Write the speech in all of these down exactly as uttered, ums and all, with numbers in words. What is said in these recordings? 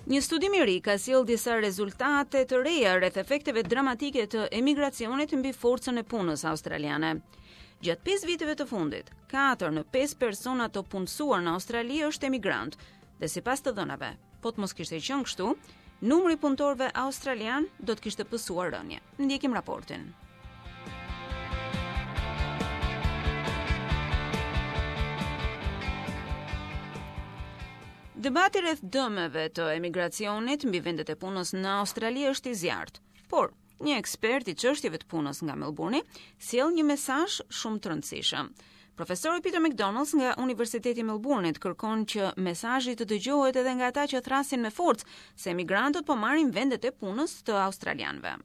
Një studim i ri ka sjellë disa rezultate të reja rreth efekteve dramatike të emigracionit mbi forcën e punës australiane. Gjatë pesë viteve të fundit, katër në pesë persona të punësuar në Australi është emigrant, dhe sipas të dhënave, po të mos kishte qenë kështu, numri i punëtorëve australian do të kishte pësuar rënie. Ndjekim raportin. Debati rreth dëmeve të emigracionit mbi vendet e punës në Australi është i zjarrt. Por, një ekspert i çështjeve të punës nga Melbourne sjell një mesazh shumë të rëndësishëm. Profesori Peter McDonald nga Universiteti i Melbourne-it kërkon që mesazhi të dëgjohet edhe nga ata që thrasin me forcë se emigrantët po marrin vendet e punës të australianëve.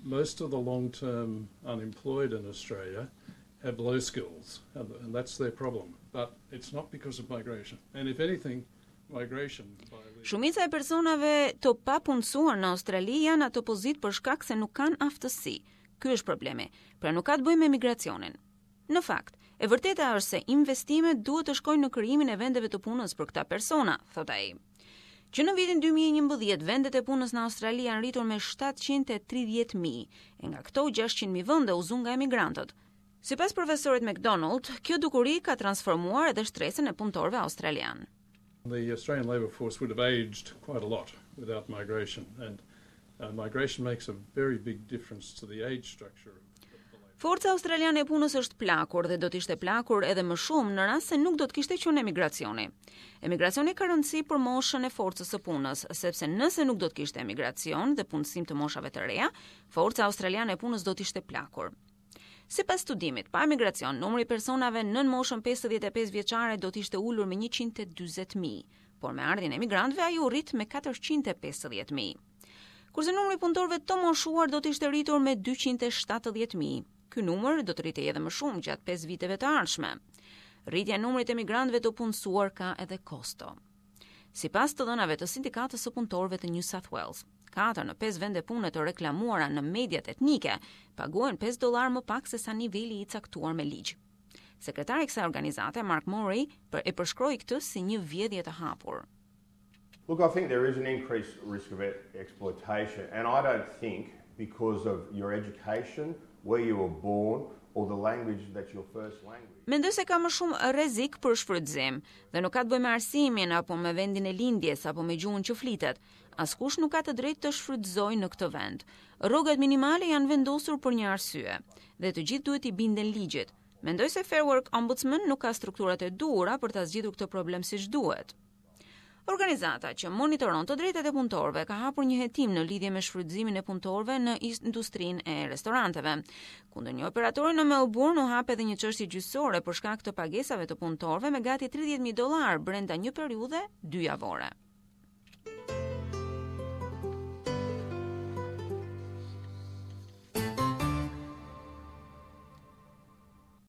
Most of the long-term unemployed in Australia have low skills, and that's their problem. But it's not because of migration. And if anything, Shumica e personave të papunësuar në Australi janë atë pozitë për shkak se nuk kanë aftësi. Ky është problemi. Pra nuk ka të bëjë me migracionin. Në fakt, e vërteta është se investimet duhet të shkojnë në krijimin e vendeve të punës për këta persona, thot ai. Që në vitin dy mijë e njëmbëdhjetë, vendet e punës në Australi janë rritur me shtatëqind e tridhjetë mijë, e nga këto gjashtëqind mijë vende u zunë nga emigrantët. Sipas profesorit McDonald, kjo dukuri ka transformuar edhe shtresën e punëtorëve australian. The Australian labour force would have aged quite a lot without migration, and, uh, migration makes a very big difference to the age structure. Forca australiane e punës është plakur dhe do të ishte plakur edhe më shumë në rast se nuk do të kishte qenë emigracioni. Emigracioni ka rëndësi për moshën e forcës së punës, sepse nëse nuk do të kishte emigracion dhe punësim të moshave të reja, forca australiane e punës do të ishte plakur. Sipas studimit, pa emigracion, numri i personave nën moshën pesëdhjetë e pesë vjeçare do të ishte ulur me njëqind e dyzet mijë, por me ardhjen e emigrantëve ai u rrit me katërqind e pesëdhjetë mijë. Kurse numri i punëtorëve të moshuar do të ishte rritur me dyqind e shtatëdhjetë mijë. Ky numër do të rritej edhe më shumë gjatë pesë viteve të ardhshme. Rritja e numrit të emigrantëve të punësuar ka edhe kosto. Sipas të dhënave të sindikatës së punëtorëve të New South Wales, katër në pesë vende pune të reklamuara në mediat etnike paguhen pesë dollar më pak se sa niveli i caktuar me ligj. Sekretari i kësaj organizate, Mark Murray, për, e përshkroi këtë si një vjedhje të hapur. Look, I think there is an increased risk of exploitation, and I don't think because of your education, where you were born, or the language that's your first language. Mendoj se ka më shumë rrezik për shfrytëzim dhe nuk ka të bëjë me arsimin apo me vendin e lindjes apo me gjuhën që flitet. Askush nuk ka të drejtë të shfrytëzojë në këtë vend. Rrogat minimale janë vendosur për një arsye dhe të gjithë duhet i binden ligjit. Mendoj se Fair Work Ombudsman nuk ka strukturat e duhura për ta zgjidhur këtë problem siç duhet. Organizata që monitoron të drejtat e punëtorëve ka hapur një hetim në lidhje me shfrytëzimin e punëtorëve në industrinë e restoranteve. Kundër një operatori në Melbourne u hap edhe një çështje gjyqësore për shkak të pagesave të punëtorëve me gati tridhjetë mijë dollar brenda një periudhe dy javore.